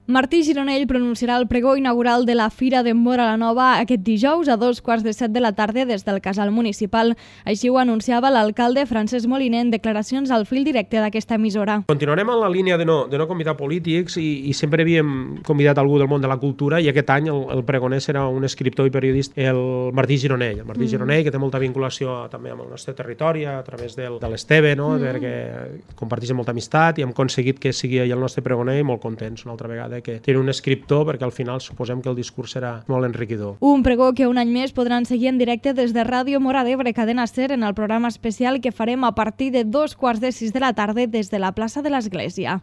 Martí Gironell pronunciarà el pregó inaugural de la Fira de Móra la Nova aquest dijous a 2:15 de la tarda des del Casal Municipal. Així ho anunciava l'alcalde Francesc Moliner en declaracions al fil directe d'aquesta emissora. Continuarem en la línia de no convidar polítics i sempre havíem convidat algú del món de la cultura i aquest any el pregoner serà un escriptor i periodista, el Martí Gironell. El Martí Gironell, que té molta vinculació també amb el nostre territori a través de l'Esteve, no? Perquè comparteixen molta amistat i hem aconseguit que sigui ell el nostre pregoner i molt contents una altra vegada que tiene un escriptor, perquè al final suposem que el discurs serà molt enriquidor. Un pregó que un any més podran seguir en directe des de Ràdio Móra d'Ebre, Cadena SER, en el programa especial que farem a partir de 2:15 de la tarda des de la plaça de l'Església.